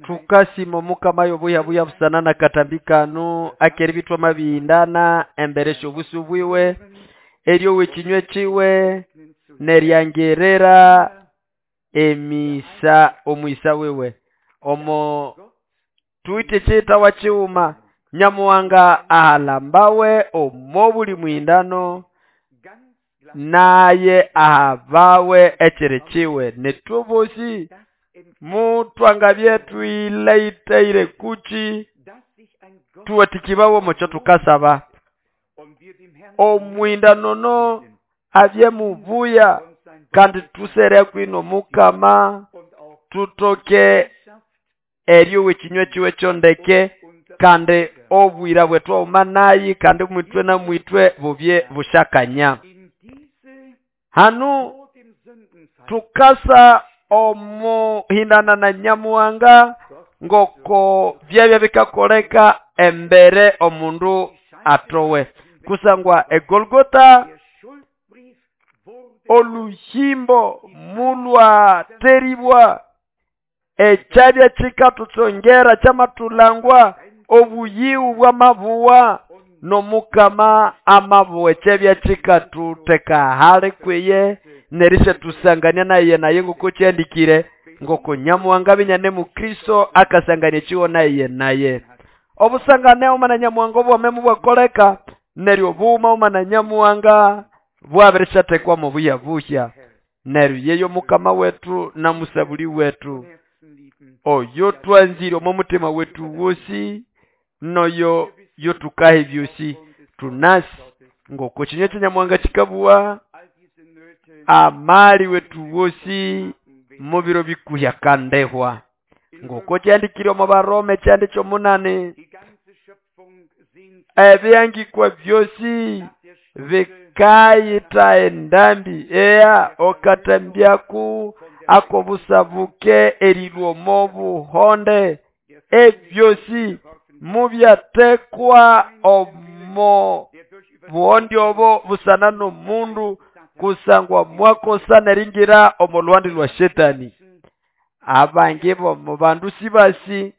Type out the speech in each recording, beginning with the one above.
Tukasima omukama y'obuyabuya busana na katambi kano akeribithwa amabihindana embere sy'obusu bwiwe eryowa ekinywe kiwe neryangirira emisa omwisa wiwe omo tuwite ekiyitawa kighuma Nyamuhanga ahalambawe omo buli muhindano naye ahabawe ekiri kiwe nethu bosi mutwangabye thuyilaithaire kuki thuwathikibawe omukyo thukasaba omuhindano ono abye mubuya kandi thusere kwino Mukama thutoke eryowa ekinywe kiwe kyondeke kandi obwira bwethu oghuma nayi kandi mwithwe na mwithwe bubye busyakanya. Hanu thukasa omuhindana na Nyamuhanga ngoko byabya bikakoleka embere omundu atowe kusangwa eGolgotha oluhimbo mulwateribwa ekyabya kikathutsongera kyamathulangwa obuyiwu bwamabuwa n'Omukama amabuwa ekyabya kikathutheka hali kwiye nerisyathusangania naye naye ngoko kyandikire ngoko Nyamuhanga binyane mu Kristo akasangania ekiwo naye naye obusangane oghuma na Nyamuhanga obwame mubwakoleka neryo obughuma oghuma na Nyamuhanga bwabirisyathekwa mu buyabuhya neryo yeyo Mukama wethu na Musabuli wethu oyo twanzire omo mutima wethu wosi noyo yotukaha ebyosi tunasi ngoko kinywe kya Nyamuhanga kikabuwa amali wethu wosi mubiro bikuhya kandehwa ngoko kyandikire omo Baroma ekyandi ky'omunani ebyangikwa byosi bikayitha endambi eya okatambyaku akobusabuke erilwa omo buhonde ebyosi mubyathekwa omo buhonde obo busana n'omundu kusangwa mwakosa neringira omo lwandi lwa Shetani. Abangi bomo bandu sibasi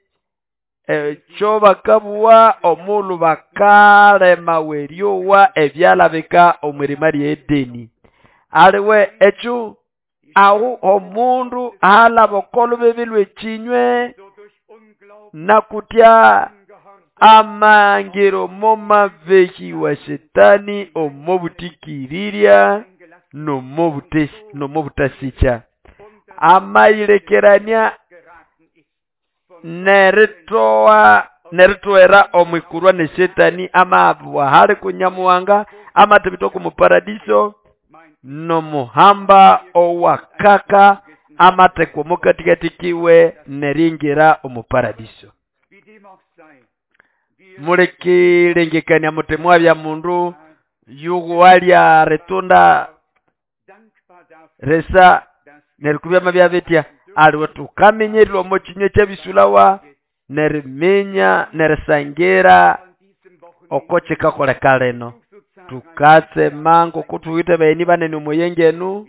ekyo bakabuwa omulhu bakalemawa eryowa ebyalabika omwirima lye Edeni. Aliwe ekyo ahu omundu ahalaba oko lubibi lw'ekinywe nakutya amangiro momabehi wa Shetani omo butikirirya nomo butasikya amayilekerania neritoa neritowera omwikurwa ne Shetani amabwa hali ku Nyamuhanga amathibitwa ku muparadiso nomuhamba owakaka amathekwa omukatikati kiwe neringira omuparadiso. Mulekilengekania muti mwabya mundu yuwalya ritunda risa neryo kubya byabitya aliwe tukaminyererwa omo kinywe kyabisulawa neriminya nerisangira oko kikakoleka lino tukatsema ngoko thuwithe bagheni banene omo yengenu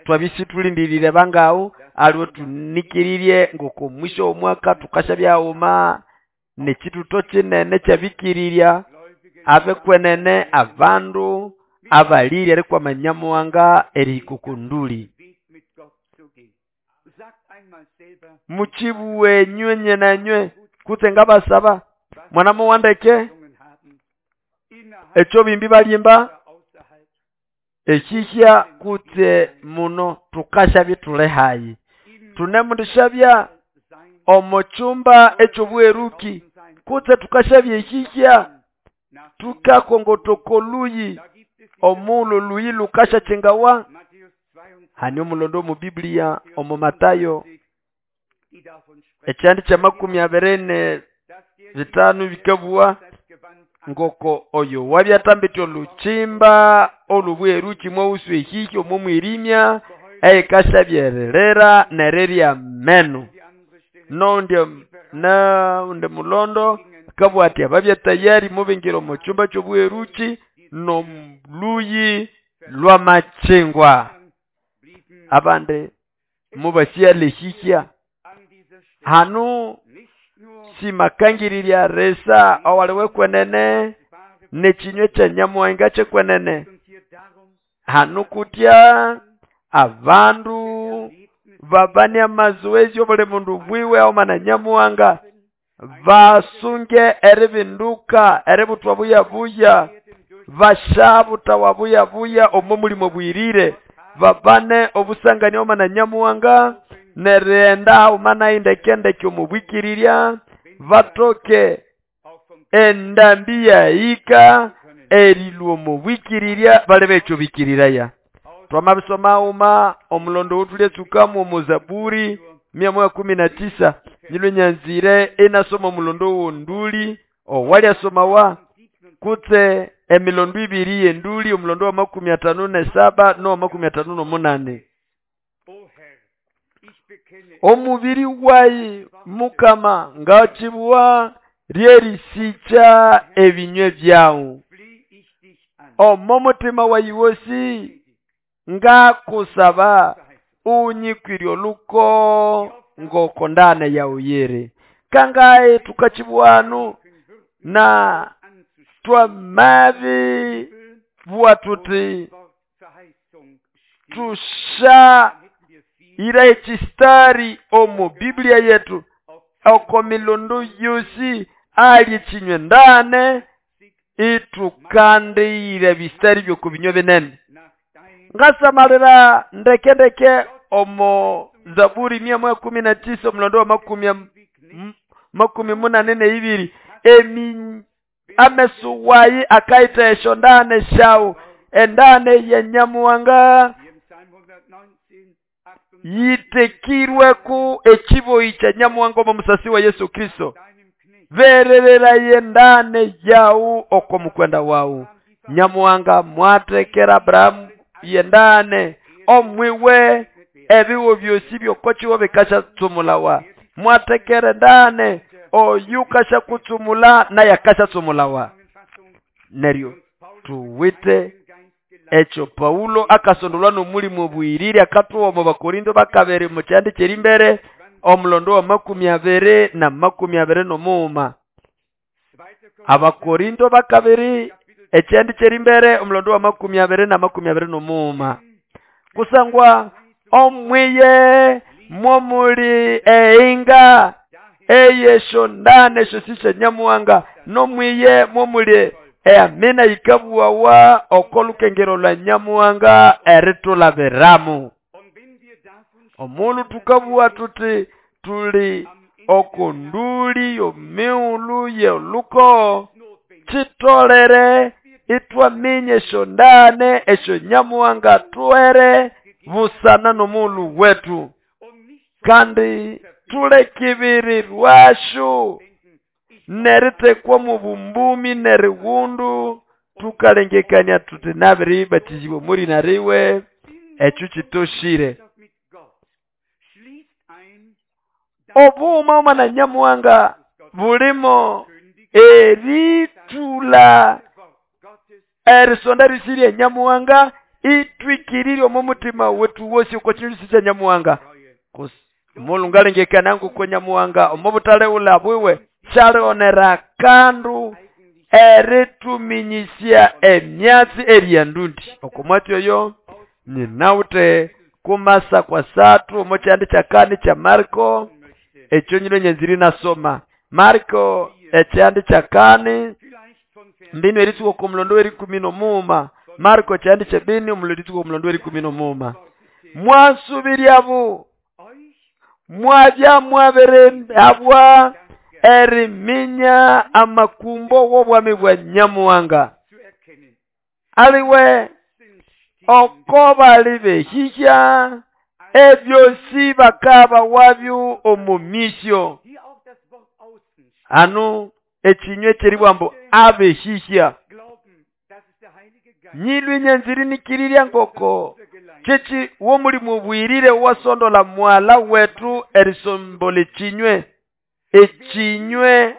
twabya isithulindirire bangawu aliwe thunikirirye ngoko mwisho w'omwaka thukasyabya haghuma n'ekithutho kinene ekyabikirirya abekwenene abandu abalire erikwama Nyamuhanga erihika oko nduli. Mukibuwe nywe nye na nywe kutse ngabasaba mwana muwandeke ekyo bimbi balimba ekihya kutse muno tukasya thule hayi tunemundishabya omo chumba eky'obweruki kutse tukashabya ekihya tukakongotoko luyi omulo luyi lukasha chingawa hani omulondo omu Biblia omu Matayo ekyandi kya 25 bikabuwa ngoko oyo wabyatambitye olukimba olubweruki mwawusu ehihya omo mwirimya eyikashabyererera nererya meno nonde naundi mulondo akabugha ati ababya tayari mubingira omu kyumba ky'obweruki n'oluyi lw'amachingwa. Abandi mubasiyalehihya hanu simakangirirya resa owaliwe kwenene nechinywe kya Nyamuhanga kyekwenene. Hanu kutya abandu babane amazoezi obuli mundu bwiwe omana Nyamuhanga basunge eribinduka eributwa buya buya bashabutawa buya buya omo mulimo bwirire babane obusangani omana Nyamuhanga nerienda omana indekendeke omubwikirirya batoke endambi yahika erilwa omubwikirirya bali bekyo bikiriraya. Twamabisoma uma omulondo wotulya tsukamu omu Zaburi 119 nyilwe nyanzire enasoma omulondo wonduli owalyasomawa kutse emilondo ibiri yenduli omulondo wa 57 no 58. Omubiri wayi Mukama ngachibwa ryerisicha ebinywe byawu omo mutima wayi wosi ngakusaba unyikwirye oluko ngokondane yauyere. Kangaye tukachibwanu na twamabi bwa tuti tusha ira echistari omu Biblia yetu oko milondo yosi ali chinywe ndane itukandire bistari byokubinywe binene. Ngasamalira ndeke ndeke omo Zaburi 119 omulondo wa 82 emi amesu wayi akaita esho ndane shawu endane ya Nyamuhanga yitekirwe ku ekiboyi kya Nyamuhanga omu musasi wa Yesu Kristo vererera yendane yawu oko mukwenda wawu. Nyamuhanga mwatekera Abrahamu yendane omwiwe ebiwo byosi byokochiwo bikasha tsumulawa mwatekere ndane oyukasha kutsumula naye akasha tsumulawa. Neryo tuwite echo Paulo akasondolwa n'omulimu obwirire akatuwa omu Bakorinto bakabiri mu kyandi kyerimbere omulondo wa 20 na 21. Abakorinto bakabiri ekyandi kyerimbere omulondo wa 20 na 21. Kusangwa omwiye mwomuli einga eyesho ndane shosisha Nyamuhanga nomwiye mwomuli eamina yikabuwawa okolukengero lwa Nyamuhanga eritulabiramu. Omulu tukabuwa tuti tuli okonduli yomiulu yoluko chitolere itwaminye esho ndane esho Nyamuhanga tuere busana nomulu wetu kandi tulekibiri rwashu neritekwa mu bumbumi neriwundu tukalengekania tuti nabiri batizibwe muri nariwe echo chitoshire. Obuma omana Nyamuhanga bulimo eritula erisonda risirye Nyamuhanga itwikirire omu mutima wetu wosi uko chindu kya Nyamuhanga. Mulungalengekana nguko Nyamuhanga omu butale ula bwiwe kyalionera kandu erituminyisya emyatsi eryandundi okomwatsi oyo ninawute kumasa kwa satu omu kyandi kyakani kya Marko ekyo nyino nyanziri nasoma Marko ekyandi kyakani mbinu eritsuka omulondo w'erikumi n'omuuma. Marko kyandi kyebini omulondo eritsuka omulondo w'erikumi n'omuuma. Mwasubiryabu mwabya mwabere abwa eriminya amakumbo w'obwami bwa Nyamuhanga aliwe oko bali behihya ebyosi bakaba wabyo omumisyo. Anu ekinywe kyeribwambo abehihya nyilwe nyanziri nikirirya ngoko kyeki womulimu bwirire wasondola mwala wetu erisombola ekinywe ekinywe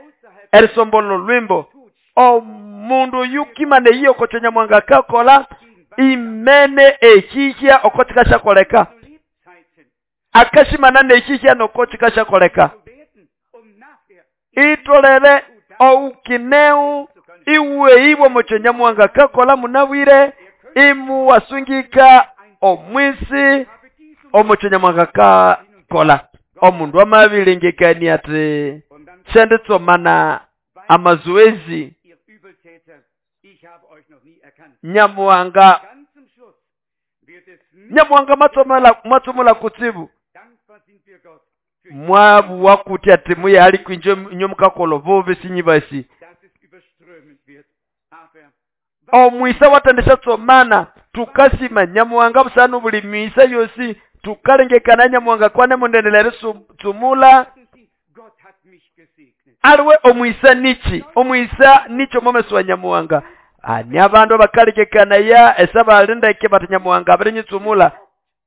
erisombola olwimbo omundu yukimane iyo okocho Nyamuhanga kakola imene ehihya oko kikashakoleka. Akashimana nehihya noko chikashakoleka. Itolere oukineu iwe ibwo mocho Nyamuhanga kakola munabwire imuwasungika omwisi omocho Nyamuhanga kakola. Omundu amabilengekania ati shenditsomana amazoezi Nyamuhanga Nyamuhanga matsomela kutsibu mwabu wakuti ati muye ali kwinjo nyomukakola bubi sinyibasi. Omwisa watendesha tsomana tukasima Nyamuhanga busanu buli misa yosi tukalengekana Nyamuhanga kwane mundendelere tsumula. Aliwe omwisa nichi omwisa nicho momeso wa Nyamuhanga. Ani abandu abakalengekana ya esabalindeke bati Nyamuhanga abirinyi-tsumula.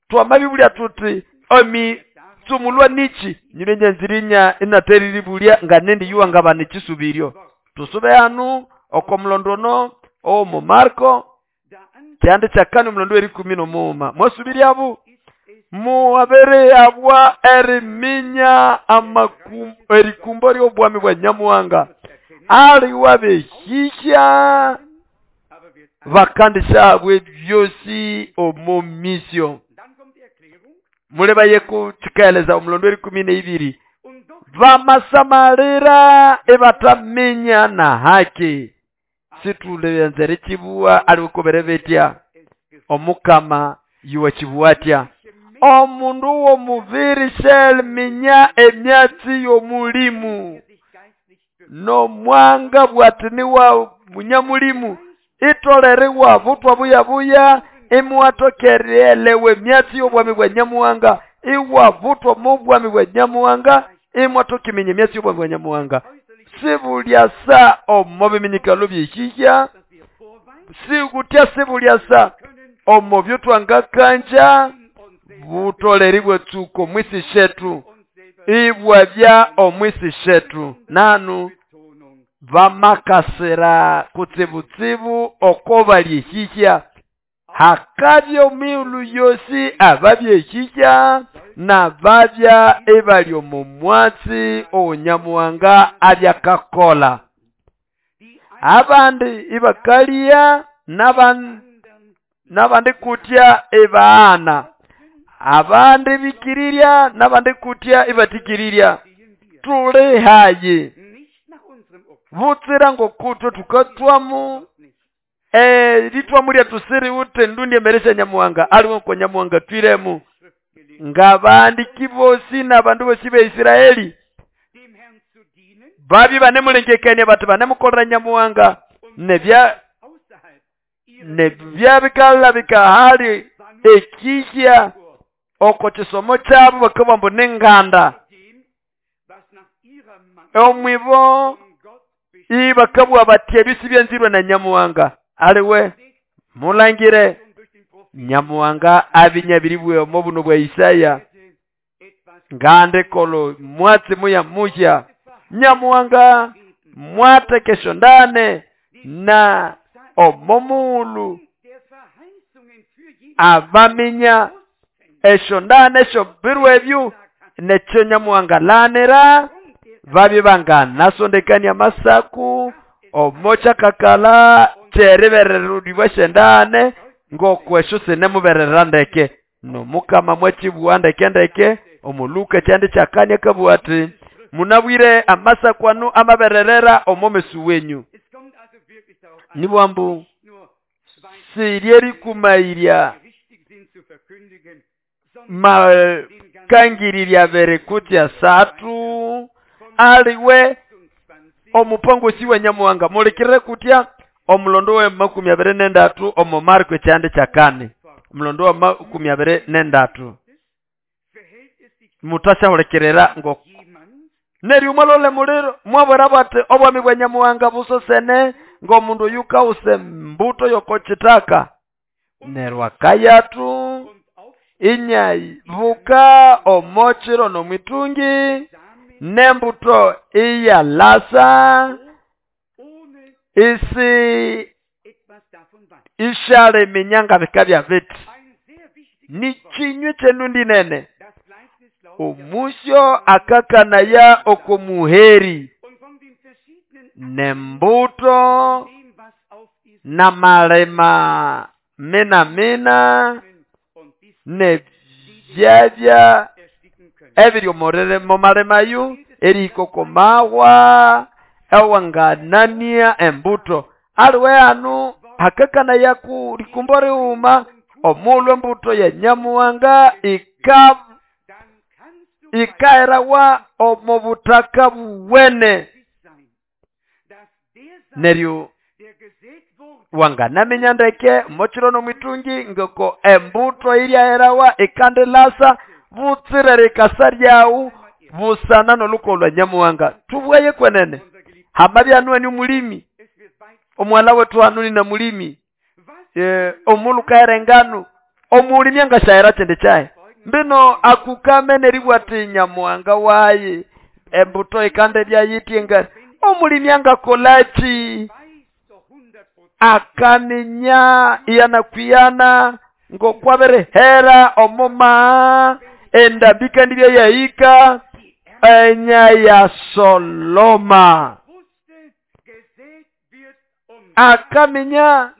Twamabibulya tuti omi tsumulwa nichi nyulenye nzirinya inateriribulia nga nendi yuwa nga banichisubiryo. Tusube hanu oko mulondono omo Marko kyandi kyakani omulondo eri 15. Mwasubiryabu muwabere abwa eriminya erikumbo ly'obwami bwa Nyamuhanga. Ali wabehihya bakandisha bwe byosi omo misio. Muleba yeku chikaeleza omulondo eri 12. Vamasamalira ebataminya na haki. Situle chibuwa alikuberebetia omukama yuwa chibuatia. Omundu womuviri shel minya emyatsi yomulimu no mwanga bwatini wa munyamulimu itolere wa butwa buya buya imuwatokerelewe myatsi yobwami bwa Nyamuhanga iwa butwa mubwami bwa Nyamuhanga imwatokimenye myatsi yobwami bwa Nyamuhanga. Sibulyasa omo biminyikalo byehihya sikutya sibulyasa omo byotwanga kanja butoleri bwetsuko mwisi shetu ibwa bya omwisi shetu nanu vamakasira kutsibutsibu oko balyehihya hakabyo miulu yosi ababyehihya na babya ebali omu mwatsi Onyamuhanga abyakakola. Abandi ibakalia nabandi kutya ebaana. Abandi bikirirya nabandi kutya ibatikirirya. Tuli hayi butsira ngokutwe tukatwamu litwamu lya tusiri ute ndundi emeresha Nyamuhanga aliwe ko Nyamuhanga twiremu ngabandiki bosi n'abandu bosi be Isiraeli babi banemulengekania bati banemukolera Nyamuhanga nebya nebyabikala bikahali ekihya oko kisomo kyabo bakabambo nenganda omwibo ibakabwa bati ebisi byenzirwe na Nyamuhanga aliwe mulangire Nyamuhanga abinyabiribwe omo buno bwa Isaya ngande kolo mwatsi muya muya Nyamuhanga mwatekesho ndane na omomulu abaminya esho ndane esho birwe ebyo nekyo Nyamuhanga lanera babye banganasondekania masaku omocha kakala kyeribererudibwa shendane ngokwesho sinemuberera ndeke nomukama mwechibwa ndeke ndeke omuluka kyandi kyakanya kabwati munabwire amasakwanu amabererera omomesu wenyu. Nibwambu siryeri kumairya makangirirya bere kutya satu aliwe omupango siwe Nyamuhanga mulekere kutya omulondo we 23 omo Marko kyandi kyakane omulondo wa 23 mutashahulekerera ngo neryo mwalole muliro mwabwera bati obwami bwa Nyamuhanga busosene ngomundu yukause mbuto yokochitaka nerwa kayatu inyavuka omochiro nomwitungi nembuto iyalasa isi ishale minyanga bikabya biti ni chinywe chenundi nene. Omusyo akakanaya oko muheri nembuto n'amalima mina mina nebyabya ebiri omo malima ayo erihika oko mahwa ewanganania embuto. Aliwe hano hakakanaya ku likumbo righuma omulhu embuto ya Nyamuhanga ikaherawa omo butaka buwene. Neryo wanganaminya ndeke omokiro n'omwitungi ngoko embuto iryaherawa ikandilasa butsire rikasa ryawu busana n'olukogo lwa Nyamuhanga. Tubwaye kwenene hamabya hanu eni omulimi, omughala wetu hanu nina mulimi, omulhu kahera engano, omulimi angasyahera kyindi kyahi? Mbino akukame neribugha ati Nyamuhanga wayi embuto ikandibya yitya engano. Omulimi angakolaki? Akaminya iyanakwiyana ngokwabirihera omo maa endambi ikandibya yahika enya ya Soloma. Akaminya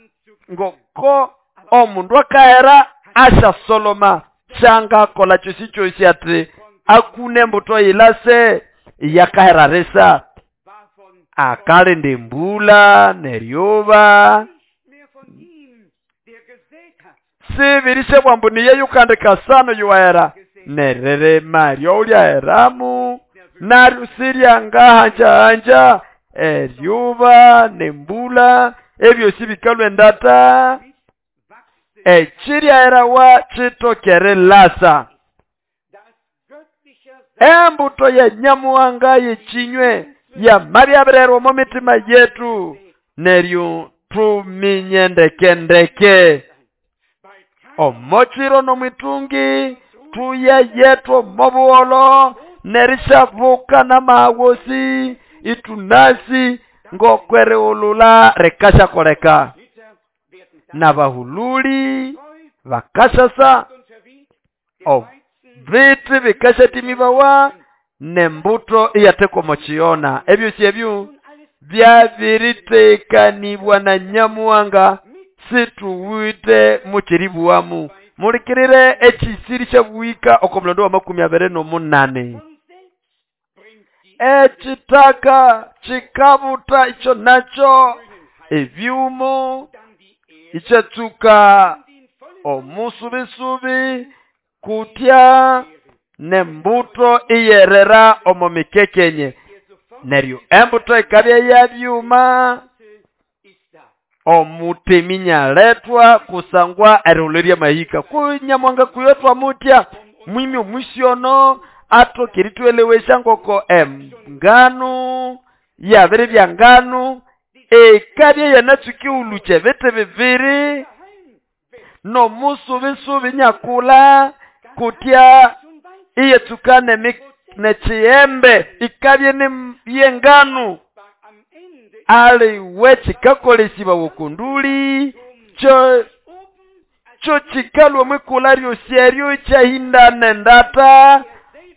ngoko omundu akahera asya Soloma syangakola kyosi kyosi ati akune embuto yilase yakahera risa. Akalinda embula n'eryuba sibirisya bwambu niye yukandika sano yuwahera neririma ryolyaheramu naryo siryangahanjahanja eryuba nembula ebyosi bikalwa endata ekiryaherawa kitokere lasa. Embuto ya Nyamuhanga yekinywe yamabyabirerwa omo mitima yetu neryo tuminye ndeke ndeke omokiro n'omwitungi tuye yetu omobuholo nerishabuka n'amawosi itunasi ngokwerighulula rikashakoleka n'abahululi bakashasa obiti bikashatimibawa nembuto iyatekwa omo kiyona. Ebyosi ebyo byabiritekanibwa na Nyamuhanga situwite mukiribuwamu. Mulikirire ekisiri kyabuhika oko mulondo wa 28. Ekitaka kikabuta ikyo nakyo ebyumo ikyatsuka omusubisubi kutya nembuto iyerera omo mikekenye. Neryo embuto ikabya yabyuma omutemi nyaletwa kusangwa erihulerya mahika. Ku Nyamuhanga kuyotwa mutya mwimi omusyono atokeritwelewesya ngoko engano yabiri bya ngano ekabya yanatsuka uluche ebiti bibiri n'omusubisubi nyakula kutya iyetsuka nekiyembe ikabya yengano aliwe kikakolesiba wokunduli kyo kikalwa mwikula ryosi eryo kyahindana endata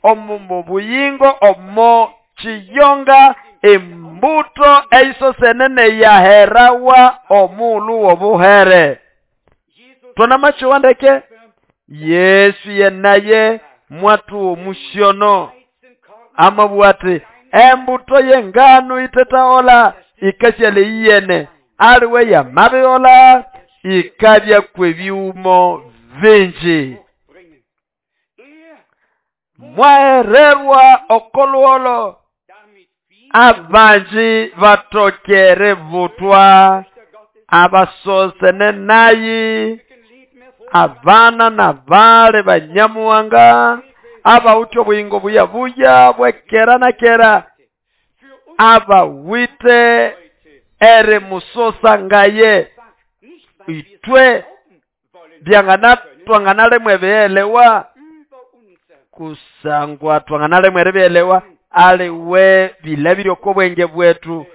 omu buyingo omo kiyonga embuto eyisosenene yaherawa omulu w'obuhere. Twonamachiwa ndeke Yesu yenaye mwatu omusyono amabugha ati embuto yengano itetaola ikasyala iyene aliwe yamabiola ikabya kwebyumo bingi. Mwahererwa okolwolo abanji batokere butwa abasosene nayi abana nabale banyamuhanga abawithe obuyingo buyabuya bwekera na kera abawithe erimusosa ngaye itwe byangana twanganalemwa ebyelewa kusangwa twanganalemwa ebyelewa aliwe bilabiri oko bwenge bwetu.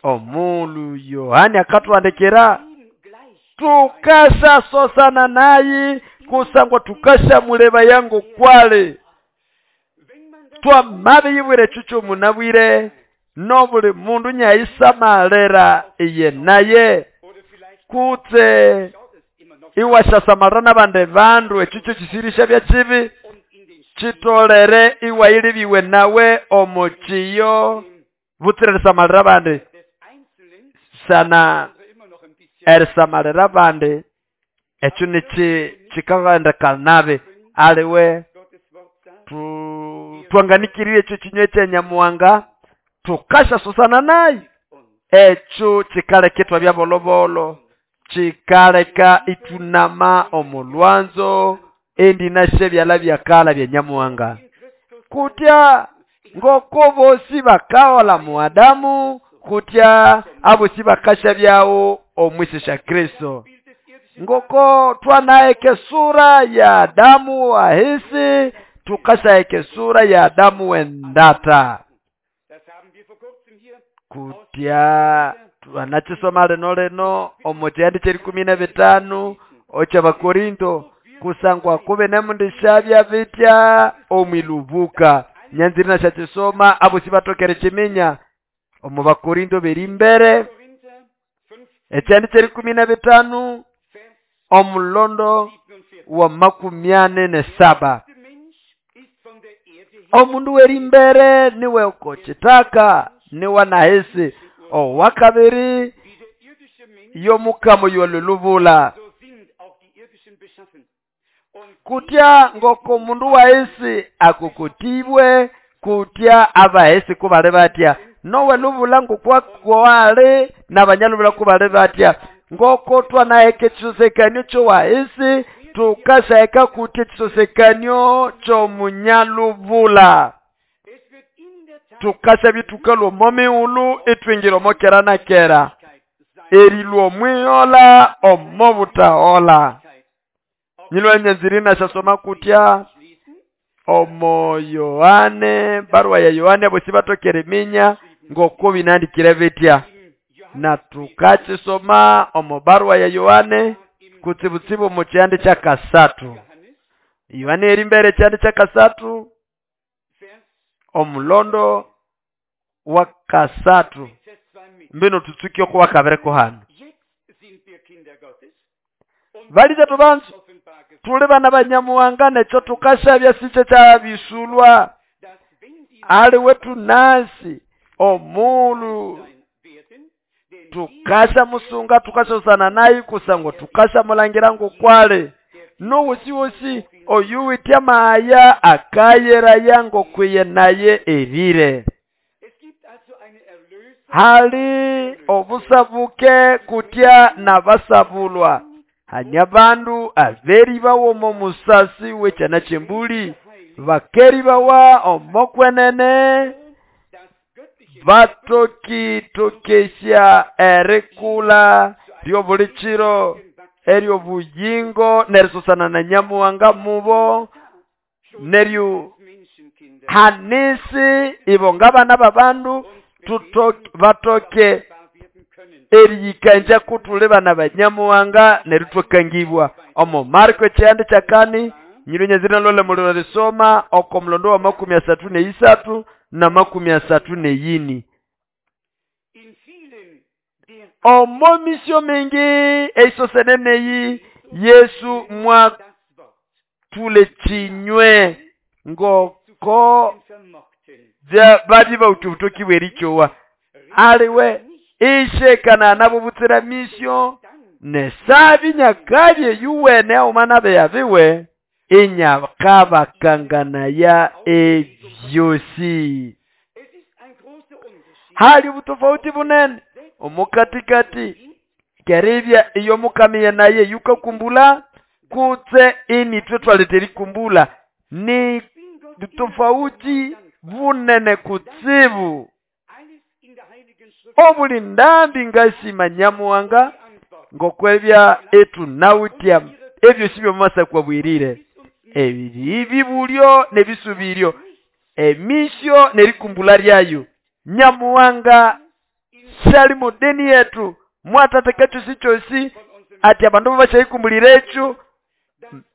Omulu Yohani akatwandikira tukasasosana nayi kusangwa tukashamuleba yangu kwale. Twamabiyibwira ekyo kyomunabwire nobuli mundu nyayisamalira iye naye kutse iwashasamalira n'abandi bandu ekyo kyo kisirisha bya kibi kitolere iwayilibiwe nawe omukiyo butsira erisamalira abandi sana erisamalira abandi ekyo nikikagendeka nabi aliwe twanganikirire ekyo kinywa kyenyamuwanga tukashasusana naye ekyo kikaleka itwabya bolobolo kikaleka itunama omulwanzo endi nashe byala byakala bya nyamuwanga kutya ngoko bosi bakaola muadamu kutya abosi bakasha byawo omwisisha Kristo ngoko twanaeke sura ya Adamu wahisi tukashaeke sura ya Adamu wendata kutya twanachisoma lino lino omukyandi kyerikumi na bitano okyabakorinto kusangwa kube nemundishabya bitya omwilubuka nyanziri nashakyisoma abosi batokere kiminya omu bakorinto beri mbere ekyandi kyerikumi na bitano omulondo wa 47 omundu weri mbere niwe okokitaka niwe nahisi owakabiri yomukamo yolulubula kutya ngoko mundu wahisi akukutibwe kutya abahisi kubali batya nowe lubula ngokwakwale nabanyalubula kubali batya ngoko twanaheka ekisosekanyo kyowahisi tukashaheka kutya ekisosekanyo kyomunyalubula tukasha bitukalwa omo mighulu itwingira omo kera na kera erilwa omwihola omo butahola nyilwa nyanziri nashasoma kutya omo Yohane barua ya Yohane abosi batokere minya ngoko binandikire bitya na tukachisoma omo barua ya Yohane kutsibutsibu omu kyandi kya kasatu Yohane eri mbere kyandi kya kasatu omulondo wa kasatu mbino tutsuke oko wakabireko hano baliza tubanzu tuli bana banyamuwanga nekyo tukashabya sikye kyabisulwa ali wetu nasi omulu tukasha musunga tukashosana naye kusangwa tukasha mulangira ngokwale nowosi oyuwitya maya akayeraya ngokwiye naye erire hali obusabuke kutya nabasabulwa hanya bandu aberi bawo musasi wekyana kyembuli bakeri bawa omokwenene batokitokesya erikula lyobulichiro eryobuyingo nerisusana na nyamuwanga mubo neryu hanisi ibo ngabana babandu batoke eriyikanja kutuli bana banyamuwanga neritwakangibwa omo Marko ekyandi kyakani nyirunyazira lole muliro lisoma oko mulondo wa 33 na 34 omo misyo mingi eisoseneneyi Yesu mwatule chinywe ngoko badi bautubutoki bwerichowa aliwe ishekana nabo butsira misyo nesabi nyakabye yuwene omwana beyabiwe inyakabakangana ebyosi hali butofauti bunene omukatikati keribya iyo mukamiye naye yukakumbula kutse ini twe twaleteri kumbula ni tofauti bunene kutsibu obuli ndambi ngasima nyamuwanga ngokwebya etu nawutya ebyo sibyo mumasa kwabwirire ebibi bulyo nebisubiryo emisyo nerikumbula lyayo nyamuwanga shali mudeni yetu mwatateka chosi chosi ati abandu bashayikumbulira ekyo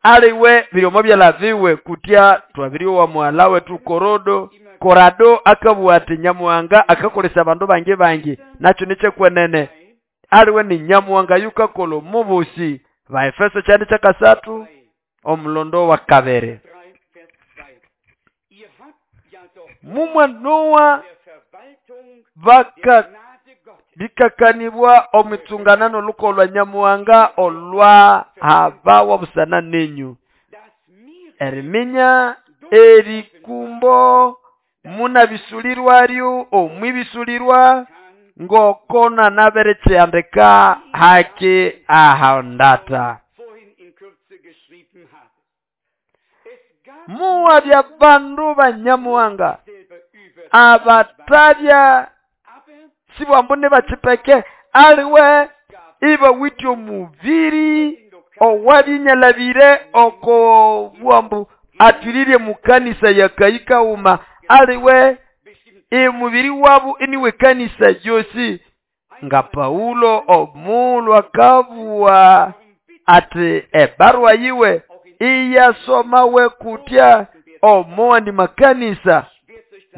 Aliwe biryomo byalabiwe kutya twabiryowa muhala wetu Korodo Korado akabugha ati Nyamuhanga akakolesya abandu bangi bangi nakyo nikyekwenene. Aliwe ni Nyamuhanga yukakola omubusi. Baefeso kyandi kyakasathu omulondo wa kabiri. Mumwanowa bikakanibwa omwitsungana n'oluko lwa Nyamuhanga olwa habawa busana nenyu. Eriminya erikumbo munabisulirwaryo omwibisulirwa ngokona naberekyandika haki ahondata. Muwabya bandu ba Nyamuhanga abatabya sibwambu nibakipeke aliwe ibawitye omubiri owabinyalabire oko bwambu atwirire mukanisa yakayikauma aliwe emubiri wabu iniwe kanisa yosi. Nga Paulo omulhu akabugha ati ebarua yiwe iyasomawe kutya omuwandi makanisa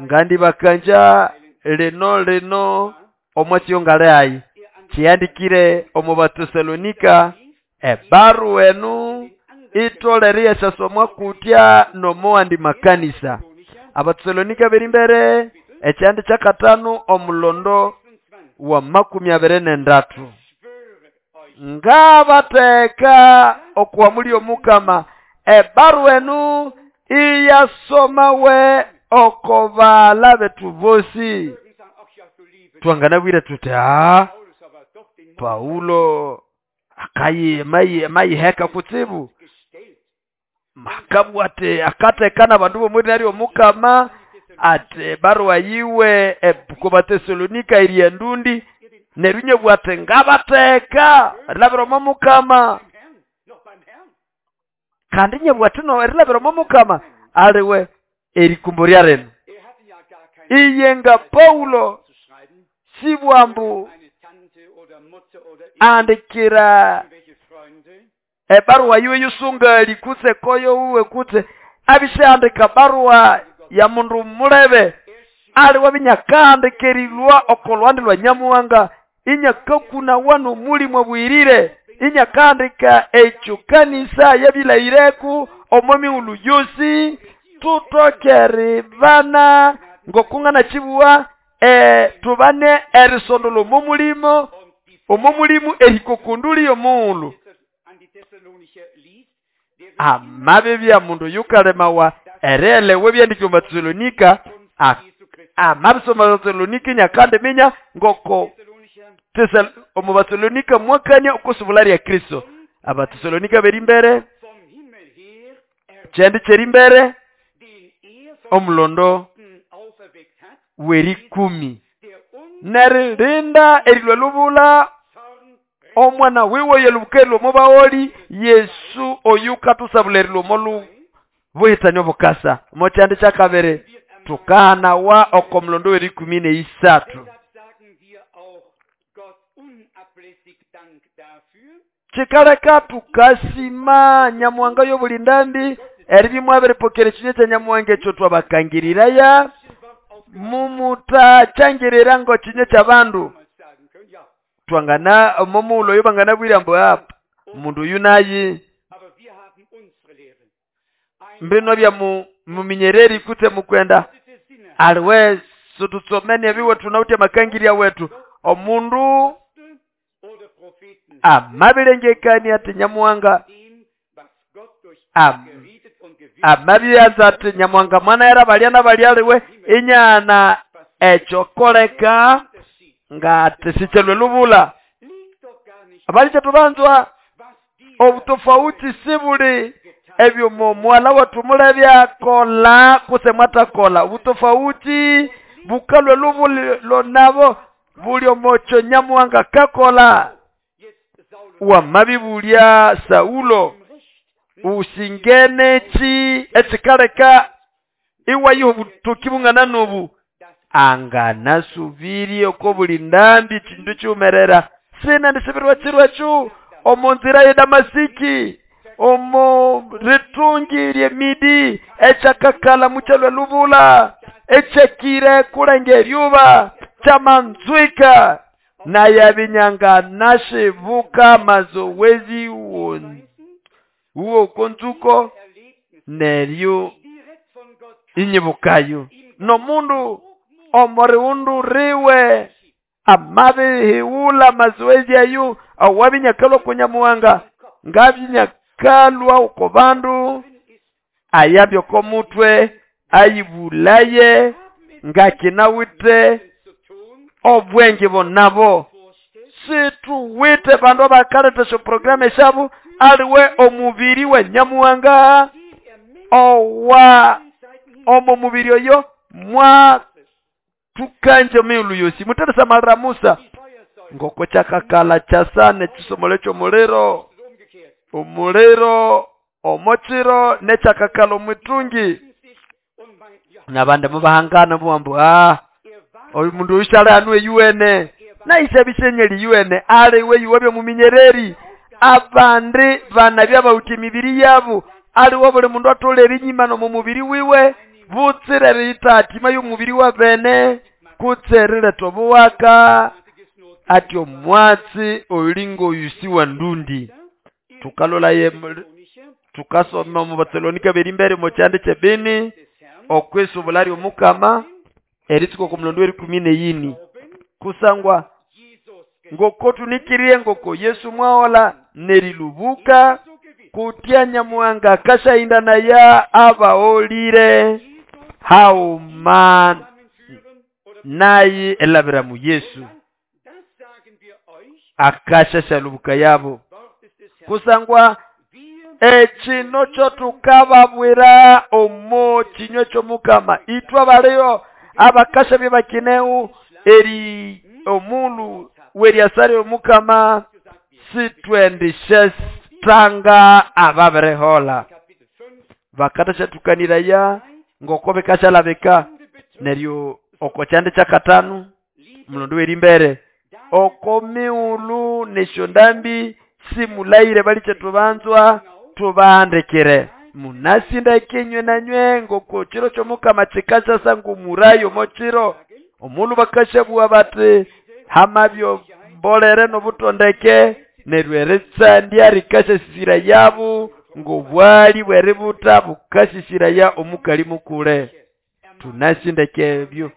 ngandi bakanja lino lino omwatsi ngale ayi kiyandikire omu Batesalonika ebarua enu itolere yasomwa kutya nomuwandi makanisa. Abatesalonika beri mbere ekyandi kyakatano omulondo wa 23. Ngabateka okuwamuli omukama ebarua enu iyasomawe oko bala betu bosi. Twanganabwire tuti Paulo akayiheka kutsibu makabwa ati akatekana abandu bomwiri naryo omukama ati barua yiwe ko Batesalonika iri endundi neryo nyebwa ati ngabateka erilabira omo mukama kandi nyebwa ati no erilabira omo mukama aliwe erikumbo lya rino. Iye nga Paulo sibwambu andikira ebarua yiwe yusungali kutse koyo uwe kutse abishandika barua ya mundu mulebe aliwe binyakandikerilwa okolwandi lwa Nyamuhanga inyakakuna wano mulimo bwirire inyakandika ekyo kanisa yabilayireku omo mighulhu yosi tutokere bana ngokungana kibuwa tubane erisondolo omomulimo omomulimu erikokunduli omughulhu. Amabi bya mundu yukalemawa erelewe byandikirwe mu Batesalonika amabisoma Batesalonika nyakandi minya ngoko omu Batesalonika mwakania okusubula lya Kristo. Abatesalonika beri mbere kyandi kyeri mbere omulondo w'erikumi neririnda erilwa lubula omwana wiwe yelubukerwa omubaoli Yesu oyu katusabula erilwa omolu buhitani obukasa. Omo kyandi kyakabiri tukahanawa oko mulondo w'erikumi n'eisathu. Kikaleka tukasima Nyamuhanga y'obulindambi eribya mwabiripokera ekinywa kya Nyamuhanga ekyo twabakangiriraya mumutakyangirira ngo kinywa ky'abandu. Twangana omomulo oyo banganabwira mbu apa mundu oyu nayi mbino bya muminyereri kutse mukwenda aliwe sututsomene ebiwe tunawutya makangirya wetu omundu amabirengekania ati Nyamuhanga amabyanza ati Nyamuhanga mwana era balya nabalya aliwe inyana ekyokoleka nga tisichelwe lubula. Abali tubanzwa obutofauti sibuli ebyo muwala wetu mulebya kola kuse mwatakola obutofauti bukalwe lubuli nabo buli omocho Nyamuhanga kakola. Wamabibulya Saulo usingene ki ekikaleka iwayiho obutoki bungana n'obu anganasubiri oko buli ndambi kindu kyumerera sina ndisibirwa kirwa kyu omu nzira ye Damasiki Omo ritungi ly'emidi ekyakakala mukyalwa lubula, ekyakire kulenga eryuba kyamanzwika, naye abinyanga nashibuka mazowezi uwo konzuko neryo inyibukayo. Nomundu omoriundu riwe amabihiwula mazoezi ayo awabinyakalwa kunyamuwanga ngabinyakalwa uko bandu ayabyo komutwe ayibulaye ngakinawite obwenge bonabo. Situwite bandu abakaletesha programu eshabu aliwe omubiri we nyamuwanga owa omo mubiri oyo mwa tukanje miulu yosi muteresa malira Musa ngoko kyakakala kyasane kisomole ky'omuliro omuliro omochiro nekyakakala omwitungi. Nabandi mubahangana bwambu oyu mundu oyushala hanu eyuwene naisha bishenyeli yuwene aliwe yuwabya muminyereri. Abandi banabya bawuthi emibiri yabo aliwo buli mundu atolera enyima nomu mubiri wiwe butsire riyitatima y'omubiri wa bene kutse riletha obuwaka ati omwatsi olinga oyusi wa ndundi. Tukalolaye tukasoma omu Batesalonika berimbere omu kyanda ky'ebini okwisubula ly'omukama eritsuka oku mulondo w'erikumi n'eyini kusangwa ngoko tunikirie ngoko Yesu mwahola nerilubuka kutya nyamuwanga akashahinda naya abaolire hauma naye elabira mu Yesu akashashalubuka yabo kusangwa ekino kyo tukababwira omo kinywa ky'omukama itwe baliyo abakasha byebakineu eri omulu weriasari omukama sitwendishe tanga ababirehola bakatasha ya ngoko bikashalabika neryo oko kyanda kyakatanu mulondo werimbere oko miulu neshondambi simulaire baliche tubanzwa tubahandikire munasinda kinywe nanywe ngoko chiro ky'omukama kikasasa ngumurayo mochiro omulu bakashabua bati hamabyo mbolere nobutondeke neryo eritsandya rikasasisira yabo ngobwali bweributa bukasisira omukali mukule. Tunasindeke ebyo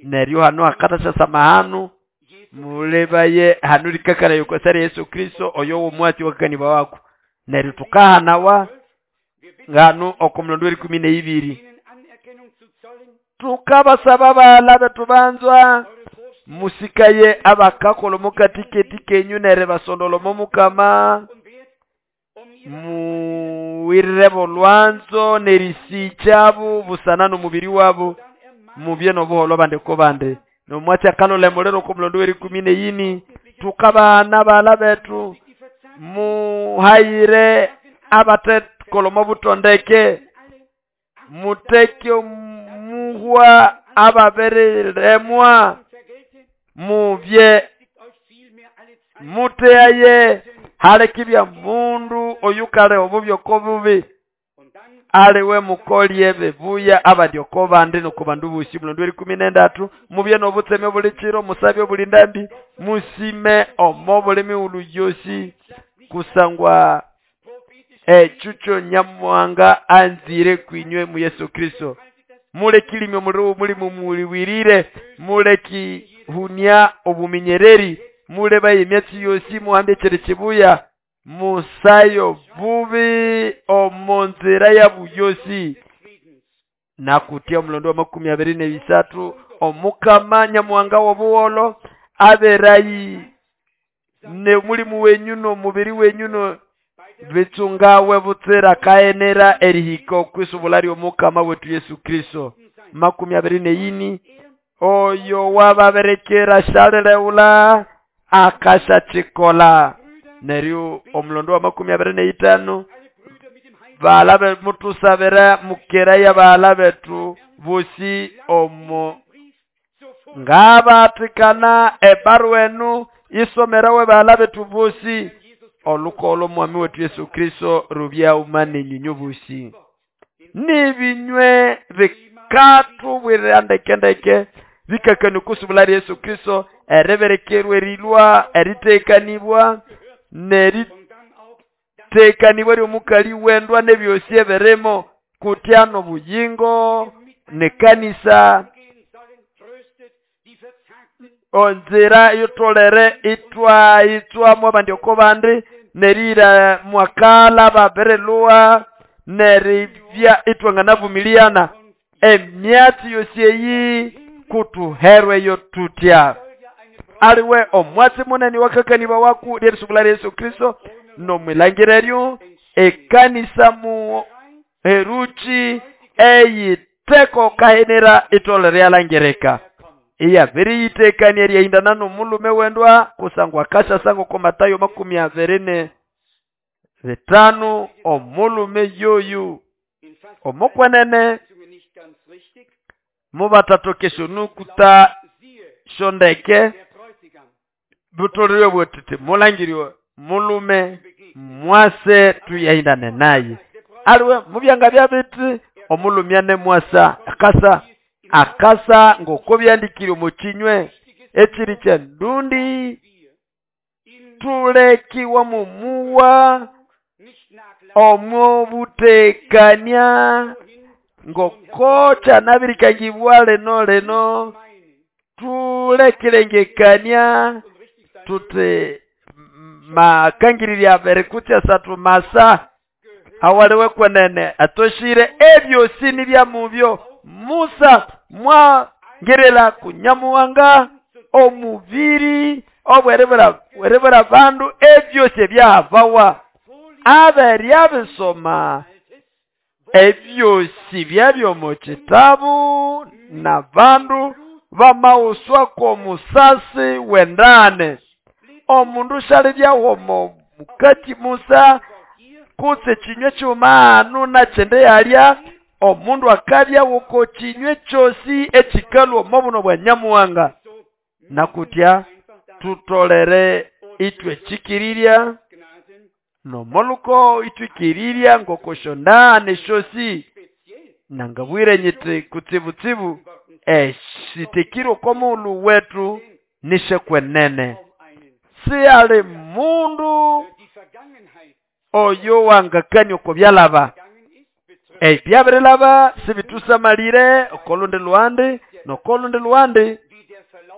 neryo hano akatasasa hanu mulebaye hanu rikakara yokosari Yesu Kristo oyo womwatsi wakaniba wako neryo tukahanawa ngano okomulondo w'erikumi n'eibiri. Tukabasaba bala betubanzwa musikaye abakakola mukatiketi kenyu nere basondolo mukama muwirire bolwanzo nerisichabu busana n'omubiri wabo mubye nobuholo bande ko bande nomwatsi akalole mulero komulondo w'erikumi n'eyini. Tukabana bala betu muhayire abatekolomo butondeke muteke muhwa ababereremwa mubye muteaye halekibya mundu oyukale obubyo kobubi aliwe mukolye bebuya abandi okobandi nokubandu busi. Mulondo w'erikumi n'endatu mubye nobutseme buli kiro musabye buli ndambi musime omo buli miulu yosi kusangwa echucho nyamuwanga anzire kwinywe mu Yesu Kristo. Mulekilime omuliro mulimu muliwirire mulekihunia obuminyereri mulebaye emyatsi yosi muhambe kyere kibuya musayo bubi omonzira ya buyosi. Nakutia omulondo wa 23 omukama nyamuwanga w'obuwolo aberayi ne mulimu wenyu n'omubiri wenyu no bitsungawe butsira kaenera erihika okwisubula ly'omukama wetu Yesu Kristo. 24 oyo wababerekera shaleleula akashachikola. Neryo omulondo wa 25 bala mutusabira mukera ya bala betu bosi omo ngabatikana ebaru enu isomerawe bala betu bosi Olukolo mwami wetu Yesu Kristo rubyauma nenyinyu busi. Nibinywe bikatubwirira ndekendeke bikakani kusubula Yesu Kristo ereberekerwe erilwa eritekanibwa neritekanibwa ry'omukali wendwa nebyosi ebirimo kutya n'obuyingo nekanisa onzira yotolere itwa itswamo abandi oko bandi nerira mwakala babirilwa neribya itwanganavumiliana emyatsi yosi eyi kutuherweyo tutya. Aliwe omwatsi munene wakakaniba waku ly'erisubula Yesu Kristo nomwilangira eryo ekanisa mu heruchi eyiteko kahenera itolere yalangirika iyabiriyitekania eriyahindana n'omulume wendwa kusangwa akashasango ko Matayo 25 omulume yoyu omukwenene mubatatokesha nukuta shondeke butoleriwe bwetiti mulangiriwe mulume mwase tuyahindane naye. Aliwe mubyanga bya biti omulumya ne mwasa akasa akasa ngoko byandikire mu kinywe ekiri kya ndundi tulekiwa mumuwa omubutekania ngoko kyanabirikangibwa leno leno tulekilengekania tuti makangirira berikutya satu masa awaliwe kwenene atoshire ebyosi nibyamubyo. Musa mwangerela kunyamuwanga omubiri obwerebera bandu ebyosi ebyabawa aberyabisoma ebyosi byabyo mu kitabu na bandu bamauswa ko musasi wendane omundu shalibyaho mukati Musa kutse kinywe ky'omaanu nakyende yalya omundu akabya woko kinywe kyosi ekikalwa omubuno bwa Nyamuwanga. Nakutya tutolere itwe kikirirya nomoluko itwikirirya ngokoshondane shosi nangabwire nyiti kutsibutsibu eshitekiro komulu wetu nishekwenene si ali mundu oyo wangakani oko byalaba ebyabirilaba sibitusamalire okolundi luandi nokolundi luandi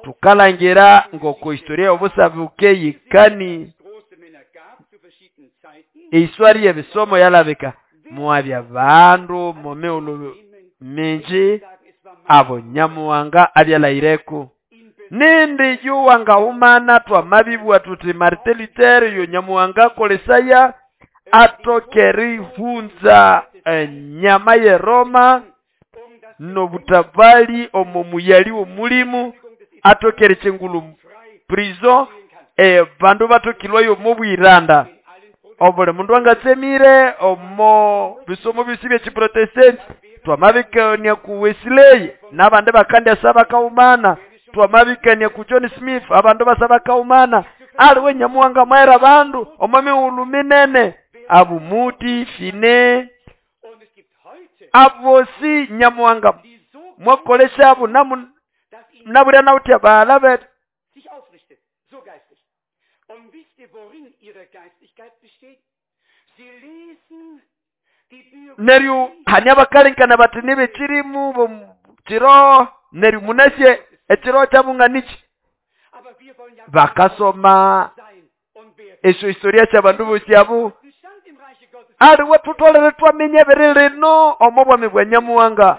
tukalangira ngoko historia y'obusabuke yikani eiswari y'ebisomo yalabika mwabya bandu mumiulu minji abo Nyamuwanga abyalaireku nindi yuwangahumana twamabibwa tuti Martin Luther yo Nyamuwanga kolesaya atokerihunza enyama ye Roma nobutabali omo muyali w'omulimu atokere chengulu prison bandu batokilwayo mubwiranda obuli mundu angatsemire omo bisomo bisi by'ekiprotestant twamabikania ku Wesley n'abandi bakandya bakaumana twamabikania ku John Smith abandu basaba kaumana aliwe Nyamuwanga mwera bandu omo minene abumuti fine abosi Nyamuwanga mwakolesha abo nabulya nawutya balabe neryo hanya bakalenkana bati nibekirimu kiro neryo munasye ekiro kyabunganichi bakasoma esyo historia kyabandu bosi abo aliwe tutolere twamenya ebiri lino omo bwami bwa Nyamuwanga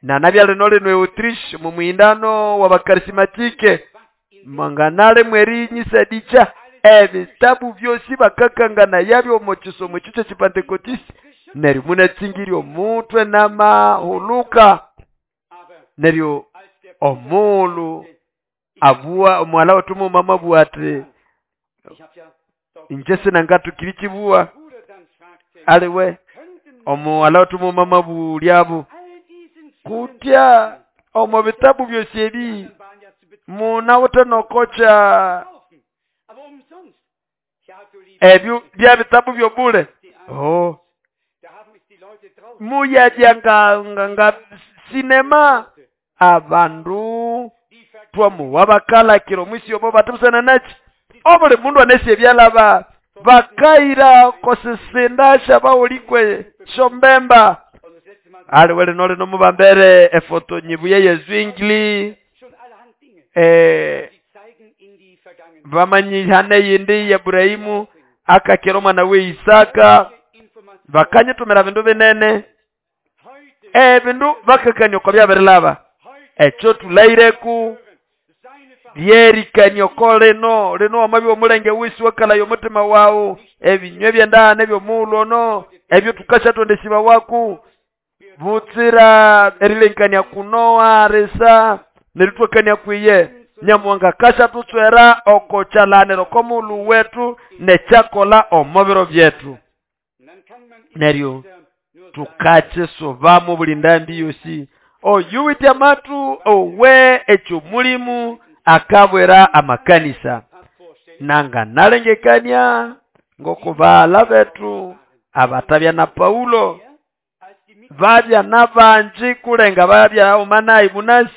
nanabya lino lino Autriche mu muhindano w'abakarismatike mwanganale mwerinyisadikya ebitabu byosi bakakangana yabyo omu kisomo ekyo ky'ekipentekotisi neryo munatsingirya omutwe n'amahuluka neryo omulu abua omwala wetu mumama abua ati inje sinangatukiri kibuwa aliwe omuwala wetu mumama bulyabo kutya omu bitabu byosi ebi munawuthe nokocha Ebyo bya bitabu byobule. Oh. Muyabya nga sinema abandu twamuwa bakalakira omwisi obo batibusana nachi. Obuli mundu anesi ebyalaba bakaira kosisinda baulikwe shombemba. Aliwele nole nomubambere efoto nyibuye ye Zwingli. Bamanyihane yindi ya Ibrahimu akakira omwana we Isaka. Bakanyitumira bindu binene. Ebindu bakakania oko byabirilaba. Ekyo tulaireku lyerikania oko lino lino wamabya omulenge wisi wakalaya omutima wawu ebinywa ebyendana ebyomughulhu ono ebyo tukashatondesiba waku butsira erilenkania kunoa risa neritwakania kwiye Nyamuhanga kashathutswera oko kyalaniro okomughulhu wetu nekyakola omo biro byetu. Neryo tukakisubamu buli ndambi yosi. Oyuwithe amatu owe ekyo mulimu akabwera amakanisa. Nanga nalengekania ngokubala betu abatabya na Paulo babya nabanji kulenga babya omanayi munasi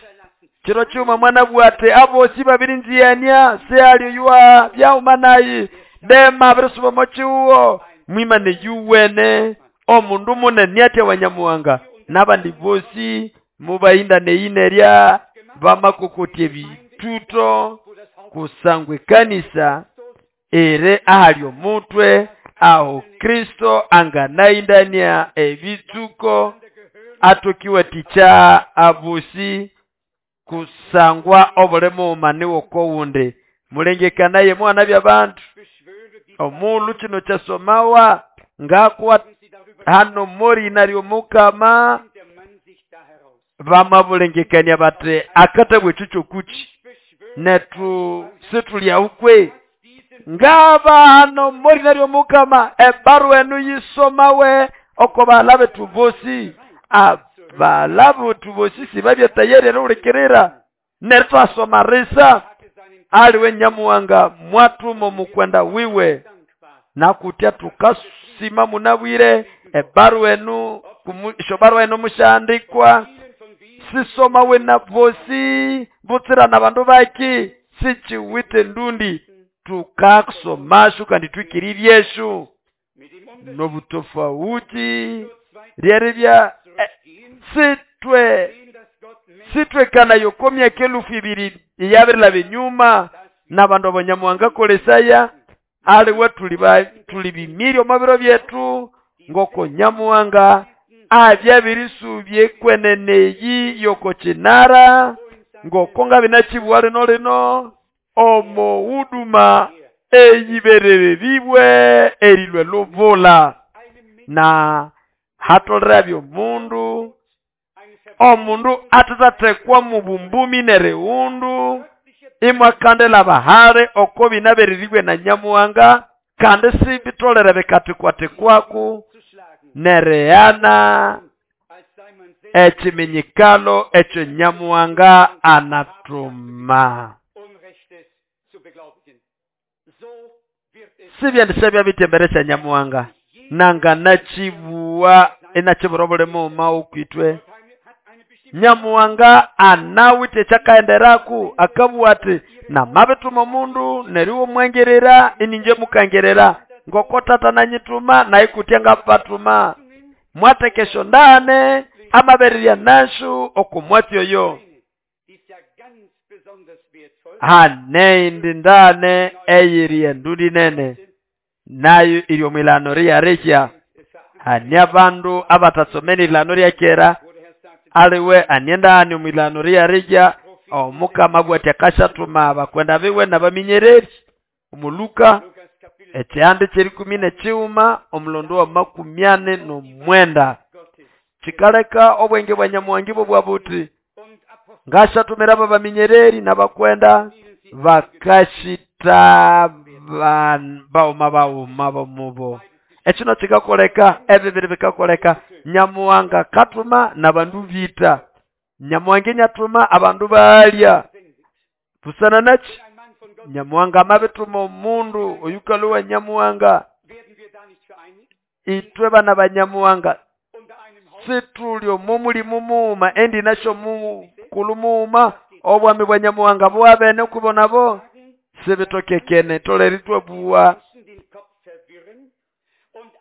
kiro kyuma mwana bwate abosi babiri nziyania seali ywa bya omanayi dema birisuba mochiwo mwimane yuwene omundu munene atya wanyamuhanga nabandi bosi mubayinda neyinerya bamakokotye bituto kusangwe kanisa ere ahali omutwe aho Kristo anganayindania ebitsuko atokiwa ticha abusi kusangwa obulemu maniwo kowundi mulengekanaye mwana byabantu omulu kino kyasomawa ngakwa hano mori naryo mukama bamabulengekania bate akatabwe chucho kuchi netu situlya ukwe ngaba hano mori naryo mukama ebaru enu yisomawe oko balabe tubosi abalabe tubosi sibabya tayari rulikirira nertwasoma risa aliwe Nyamuhanga mwatumo mukwenda wiwe nakutya tukasima munabwire ebaru enu ishobaru enu mushandikwa sisoma we na bosi butsira na bandu baki sichiwite ndundi tukasomashu kandi twikiriryeshu nobutofauti ryeribya sitwe kana yokomya kelufu ibiri iyabirila binyuma nabandu abanyamuhanga kolesaya aliwe tulibimiri omubiro byetu ngoko Nyamuhanga abyabirisubye kweneneyi yoko kinara ngoko ngabinachibwa lino lino omo huduma eyiberere bibwe erilwe lubula na hatolera byomundu omundu atatatekwa mubumbumi nereundu imwakandela bahare oko binaberiribwe na Nyamuhanga kandi sibitolere bikatikwatikwaku nereana ekiminyikalo ekyo Nyamuhanga anatuma. Sibyandisha bitemberesha Nyamuhanga nanga nachibuwa enachibura obulemu mawu kwitwe. Nyamuhanga anawite kyakaenderaku akabuwa ati namabituma omundu neriwo mwengerera ininje mukangerera ngoko tata nanyituma naikutya ngapatuma mwatekesho ndane amaberirya nashu okumwatyo yo haneindi ndane eyiri endudi nene nayo iri omwilano riyarehya hani abandu abatasomene ilano ryakera aliwe aniendani omwilano riyarehya omukama bwati akashatuma abakwenda biwe nabaminyereri omuluka ekyihanda kyerikumi nekighuma omulondo wa 49 kikaleka obwenge bwa Nyamuhanga ibwo bwabuti ngashatumira abaminyereri nabakwenda bakashita bauma bauma bomubo ekino kikakoleka ebibiri bikakoleka Nyamuhanga katuma nabandu bita Nyamuhanga nyatuma abandu balya busana nachi Nyamuhanga amabituma omundu oyukalwa Nyamuhanga, itwe bana ba Nyamuhanga situli omo mulimu mughuma endina syomukulu mughuma obwami bwa Nyamuhanga bwabene okubonabo sibitokekene. Tolere itwabuwa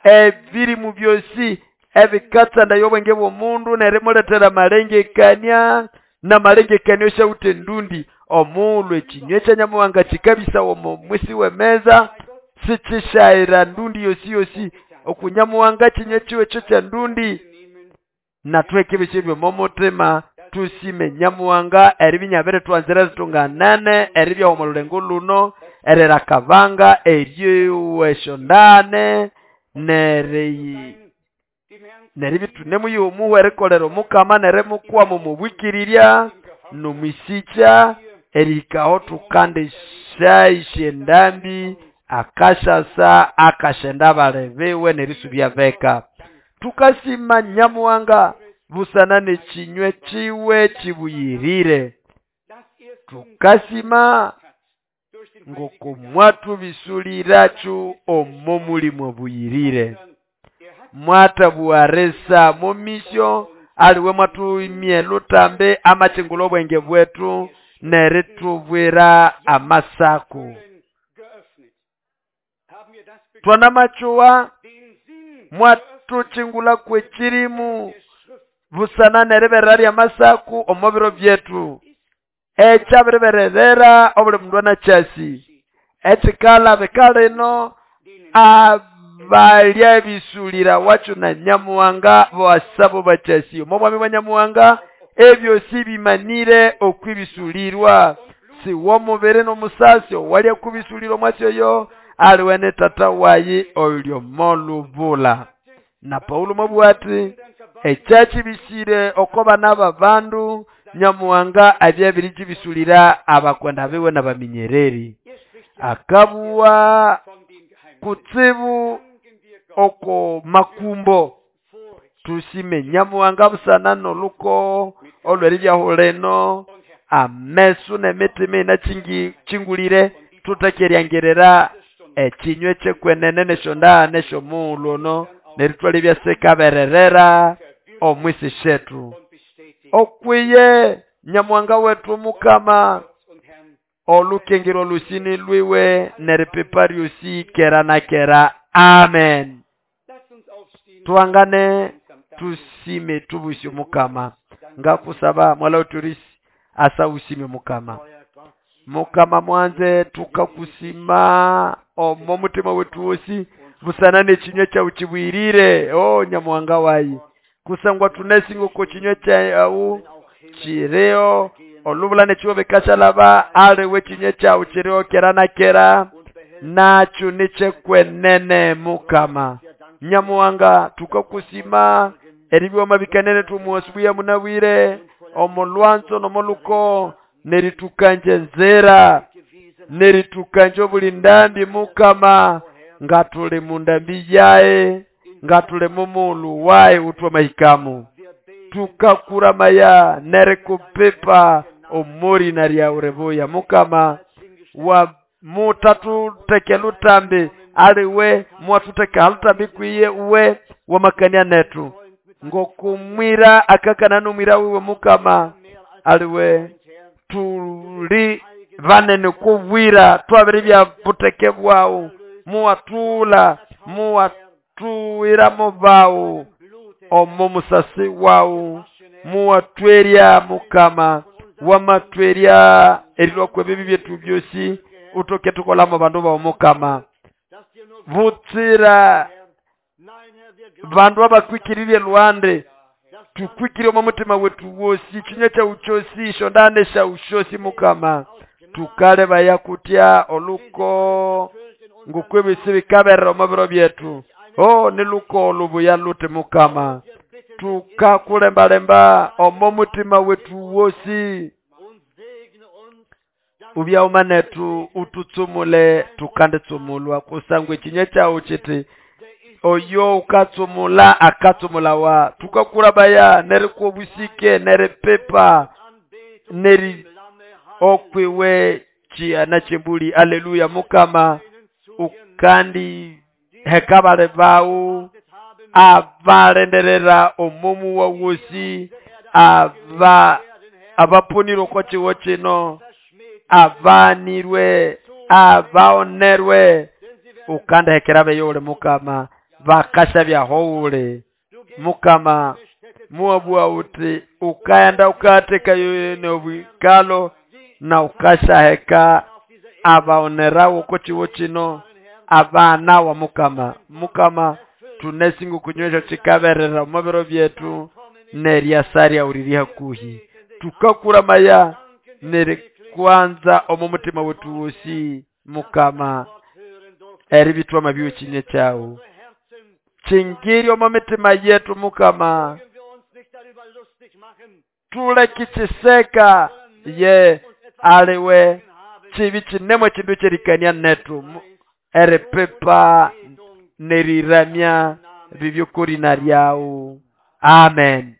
ebirimu byosi ebikatsandaya obwenge bw'omundu nerimuletera amalengekania namalengekania osyawuthe ndundi. Omughulhu ekinywe kya Nyamuhanga kikabisawa omo mwisi w'emeza sikyishayira ndundi yosi yosi. Oku Nyamuhanga kinywe kiwe ekyo kya ndundi nathuheke ebyosi ebyomo mutima tusime Nyamuhanga eribya inyabiritwanzira ritunganene eribya omo lulengo luno erirakabanga eryowa esyondane neribya thunemuyiha omuhwa erikolera omukama nerimukwama omo bwikirirya nomwisikya erihikaho tukandisyaisya endambi akashasa akashenda abali biwe nerisubya beka. Tukasima Nyamuhanga busana n'ekinywe kiwe kibuyirire. Tukasima ngoko mwathubisuliracho omo mulimu obuyirire. Mwathabuwarisa momisyo aliwe mwathuimye lutambi amachingula obwenge bwetu nerithubwira amasaku. Twanamachuwa mwathuchingula kwekirimu busana neriberera lyamasaku omo biro byetu. Ekyabiribererera obuli mundu anakyasi ekikalha bikalino abalya bisulira wacho na Nyamuhanga bwasabo bakyasi omo bwami bwa Nyamuhanga ebyosi bimanire okwibisulirwa. Si womubiri n'omusasi owalya kubisulira omwasi oyo aliwe ne tata wayi oyuli molubula. Na Paulo mwabugha ati ekyakibisire oko bana b'abandu Nyamuhanga abyabirikibisulira abakwenda biwe n'abaminyereri. Akabuwa kutsibu oko makumbo. Tusime Nyamuhanga busana n'oluko olw'eribyahuleno amesu n'emitima inachingulire tutakeryangerera ekinywe kyekwenene nesyonda nesyomughulhu ono nerithwalya ebyasikabererera omwisi syetu. Okwiye Nyamuhanga wetu Mukama olukengerwa lusini lwiwe neripipa lyosi kera na kera. Amen. Tuhangane tusime tubusye Mukama. Ngakusaba mwala uturisi asa usime Mukama. Mukama mwanze tukakusima omo mutima wetu wosi busana n'ekinywa kyawu kibwirire. O Nyamuhanga wayi kusangwa tunesinga oko kinywa kyawu kireo olubula nekiwo bikashalaba aliwe kinywa kyawu kireo kera na kera nakyo nikyekwenene. Mukama Nyamuhanga tukakusima eribyoma bikanene tumuwasubuya munabwire omolwanzo nomoluko neritukanje nzera neritukanje obuli ndambi. Mukama ngatuli mundambi yae ngatuli mumulu wae utwa mahikamu tukakuramaya nerikupipa omori naryauribuya. Mukama wa mutatuteke lutambi aliwe mwatuteka halutambi kwiye uwe wamakania netu ngokumwira akakana nomwira wiwe. Mukama aliwe tuli banene kubwira twabiri bya buteke bwawu muwatula muwatuwiramo bawu omo musasi wawu muwatwerya. Mukama wamatwerya erilwa kwebibi byetu byosi utoke tukolamo bandu bawu. Mukama butsira bandu abakwikiririe lwande tukwikire omo mutima wetu wosi kinywa kyawu kyosi ishondane syawu syosi. Mukama tukalebaya kutya oluko ngokwebisi bikaberera omo biro byetu. O niluko olubuya lute. Mukama tukakulembalemba omo mutima wetu wosi ubyauma netu ututsumule tukanditsumulwa kusangwa ekinywa kyawu kiti oyo ukatsumula akatsumulawa. Tukakurabaya nerikuobusike neripipa neri okwiwe chihana chembuli. Aleluya. Mukama ukandi heka bali bawu abalindirira omomu wawosi aba abapunire oko kiwo kino abanirwe abaonerwe ukandihekera beyo uli mukama bakashabyaho uli mukama muwabua uti ukaenda ukaatekayo nobwikalo na ukashaheka abaonerawo oko kiwo kino abana wa mukama. Mukama tunesinga okunywesha kikaberera omo biro byetu neryasa uriri hakuhi tukakuramaya nerikwanza omo mutima wetu wosi mukama eribitwama byokinye kyawu chingiri omo mitima yetu mukama tuleke chiseka ye aliwe chibi chinemwe chindu kyerikania netu eripepa neriramya bibyokorina ryawu. Amen.